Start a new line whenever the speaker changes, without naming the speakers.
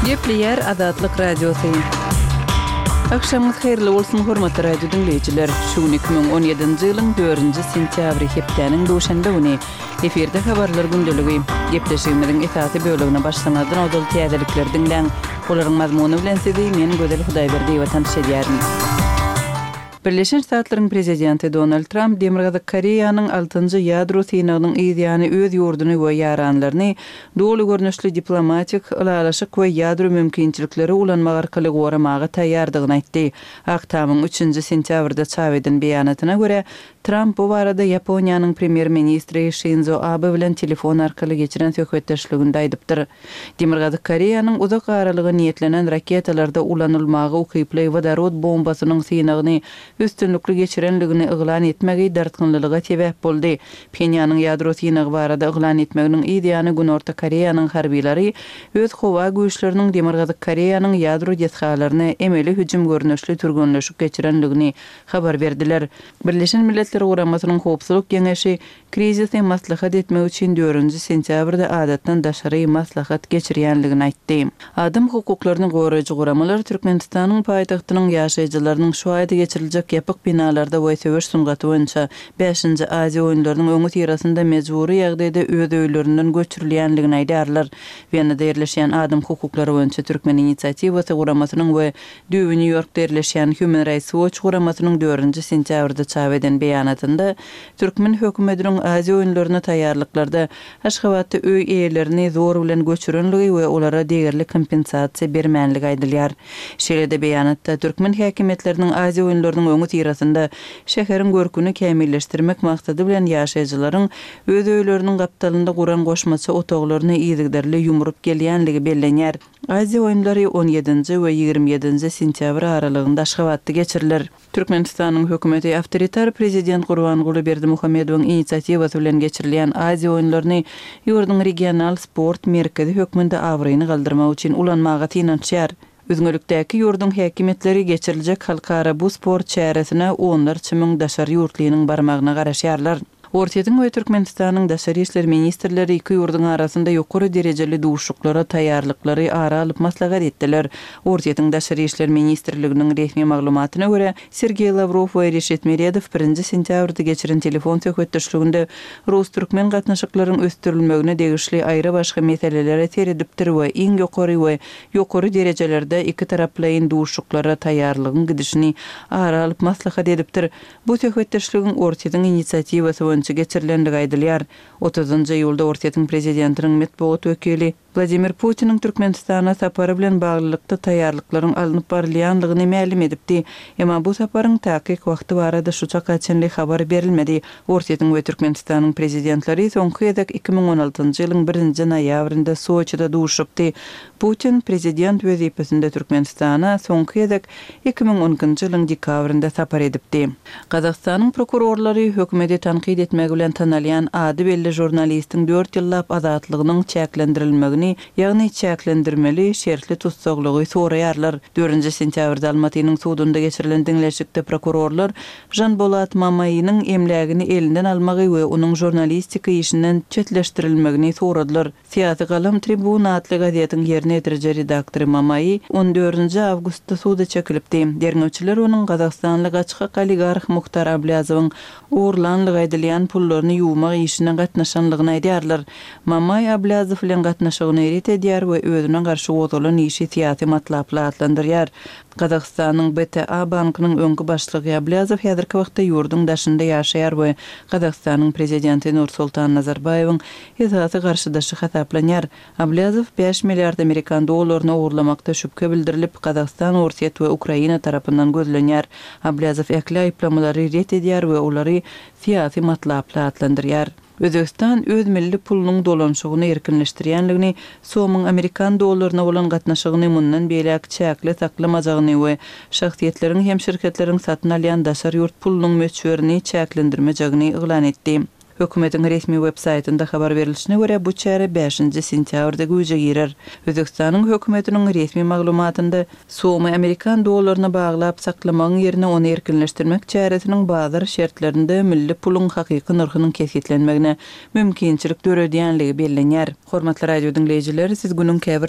Gepleýär Azatlyk Radiosy. Agşamyňyz haýyrly bolsun, hormatly radio diňleýjiler! Şu gün 2017-nji ýylyň dördünji sentýabry, hepdäniň duşenbe güni. Efirde habarlar gündeligi. Gepleşigimiziň esasy bölegine başlamazdan ozal täzelikleri diňläň. Olaryň mazmuny bilen sizi men Gözel Hudaýberdiýewa tanyş edýärin. Birleşen Ştatlaryň prezidenti Donald Tramp Demirgazyk Koreýanyň altynjy ýadro synagynyň yz ýany öz ýurduny we ýaranlaryny doly görnüşli diplomatik, ylalaşyk we ýadro mümkinçilikleri ulanmak arkaly goramaga taýýardygyny aýtdy. Ak Tamyň üçünji sentýabrda çap eden beýanatyna görä, Tramp bu barada Ýaponiýanyň premýer-ministri Şinzo Abe bilen telefon arkaly geçiren söhbetdeşliginde aýdypdyr. Demirgazyk Koreýanyň uzak aralyga niýetlenen raketalarda ulanylmaga ukyply wodorod bombasynyň synagyny üstünlikli geçirenligini yglan etmegi dartgynlylyga sebäp boldy. Phenýanyň ýadro synagy barada yglan etmeginiň yz ýany Günorta Koreýanyň harbylary öz howa güýçleriniň Demirgazyk Koreýanyň ýadro desgalaryna emeli hüjüm görnüşli türgenleşik geçirenligini habar berdiler. Birleşen Milletler Guramasynyň Howpsuzlyk Geňeşi krizisi maslahat etmek üçin dördünji sentýabrda adatdan daşary maslahat geçirýänligini aýtdy. Adam hukuklaryny goraýjy guramalar Türkmenistanyň paýtagtynyň ýaşaýjylarynyň şu aýda geçiriljek ýapyk binalarda we söweş sungaty boýunça bäşinji Aziýa oýunlarynyň öňüsyrasynda mejbury ýagdaýda öz öýlerinden göçürilýänligini aýdýarlar. Wenada ýerleşýän Adam hukuklary boýunça Türkmen inisiatiwasy guramasynyň we Düýbi Nýu-Ýorkda ýerleşýän Human Rights Watch guramasynyň dördünji sentýabrda çap eden beýanatynda türkmen hökümetiniň Aziýa oýunlaryna taýýarlyklarda Aşgabatda öý eýelerini zor bilen göçürenligi we olara degerli kompensasiýa bermänligi aýdylýar. Şeýle-de beýanatda türkmen häkimiýetleriniň Aziýa oýunlarynyň öňüsyrasynda şäheriň görküni kämilleşdirmek maksady bilen ýaşaýjylaryň öz öýleriniň gapdalynda guran goşmaça otaglaryny yzygiderli ýumrup gelýänligi bellenýär. Aziýa oýunlary on ýedinji we 27 ýedinji sentýabr aralygynda Aşgabatda geçiriler. Türkmenistanyň hökümeti awtoritar prezident Gurbanguly Berdimuhamedowyň inisiatiwasy bilen geçirilýän Aziýa oýunlaryny ýurduň regional sport merkezi hökmünde abraýyny galdyrmak üçin ulanmaga synanyşýar. Üzňelikdäki ýurduň häkimiýetleri geçiriljek halkara bu sport çäresine onlarça müň daşary ýurtlynyň barmagyna garaşýarlar. Orsýetiň we Türkmenistanyň daşary işler ministrleri iki ýurduň arasynda ýokary derejeli duşuşyklara taýýarlyklary ara alyp maslahat etdiler. Orsýetiň Daşary işler ministrliginiň resmi maglumatyna görä, Sergeý Lawrow we Reşit Meredow birinji sentýabrda geçiren telefon söhbetdeşliginde rus-türkmen gatnaşyklaryň ösdürilmegine degişli aýry-başga meselelere seredipdir we iň ýokary we ýokary derejelerde ikitaraplaýyn duşuşyklara taýýarlygyň gidişini ara alyp maslahat edipdir. Bu söhbetdeşligiň Orsýetiň inisiatiwasy boýunça geçirilendigi aýdylýar. Otuzynjy iýulda Orsýetiň prezidentiniň metbugat wekili Wladimir Putiniň Türkmenistana sapary bilen baglylykda taýýarlyklaryň alnyp barylýanlygyny mälim edipdi. Emma bu saparyň takyk wagty barada şu çaka çenli habar berilmedi. Orsýetiň we Türkmenistanyň prezidentleri soňky gezek 2016-njy ýylyň birinji noýabrynda Soçide duşupdy. Putin prezident wezipesinde Türkmenistana soňky gezek 2012-nji ýylyň dekabrynda sapar edipdi. Gazagystanyň prokurorlary hökümeti tankyt etmegi bilen tanalýan ady belli žurnalistiň dört ýyllap azatlygynyň çäklendirilmegini, ýagny çäklendirmeli şertli tussaglygy soraýarlar. Dördünji sentýabrda Almatynyň sudunda geçirilen diňleşikde prokurorlar Žanbolat Mamainiň emlägini elinden almagy we onuň žurnalistika işinden çetleşdirilmegini soradylar. Syýasy galam Tribuna atly gazetiň ýerine ýetiriji redaktory Mamai on dördünji awgustda suda çekilipdi. Derňewçiler onuň gazagystanly gaçgak oligarh Muhtar Ablýazowyň ogurlanlygy aýdylýan pullaryny ýuwmak işine gatnaşanlygyny aýdýarlar. Mamai Ablýazow bilen gatnaşygyny ret edýär we özüne garşy gozgalan işi syýasy matlaply atlandyrýar. Gazagystanyň BTA bankynyň öňki başlygy Ablýazow häzirki wagtda ýurduň daşynda ýaşaýar we Gazagystanyň prezidenti Nursultan Nazarbaýewiň esasy garşydaşy hasaplanýar. Ablýazow bäş milliard amerikan dollaryny ogurlamakda şübhe bildirilip, Gazagystan, Orsýet we Ukraina tarapyndan gözlenýär. Ablýazow ähli aýyplamalary ret edýär we olary syýasy matlaply atlandyrýar. Özbegistan öz milli pulunyň dolanyşygyny erkinleşdirýänligini, somyň amerikan dollaryna bolan gatnaşygyny mundan beýläk çäkli saklamajagyny we şahsyýetleriň hem şirketleriň satyn alýan daşary ýurt pulunyň möçberini çäklendirmejegini yglan etdi. Hökümetiň resmi web saýtynda habar berlişine görä, bu çäre bäşinji sentýabrda güýje girer. Özbegistanyň hökümetiniň resmi maglumatynda, somy amerikan dollaryna baglap saklamagyň ýerine ony erkinleşdirmek çäresiniň bazar şertlerinde milli puluň hakyky nyrhynyň kesgitlenmegine mümkinçilik döredýänligi bellenýär. Hormatly radio diňleýjiler, siz günüň käbir.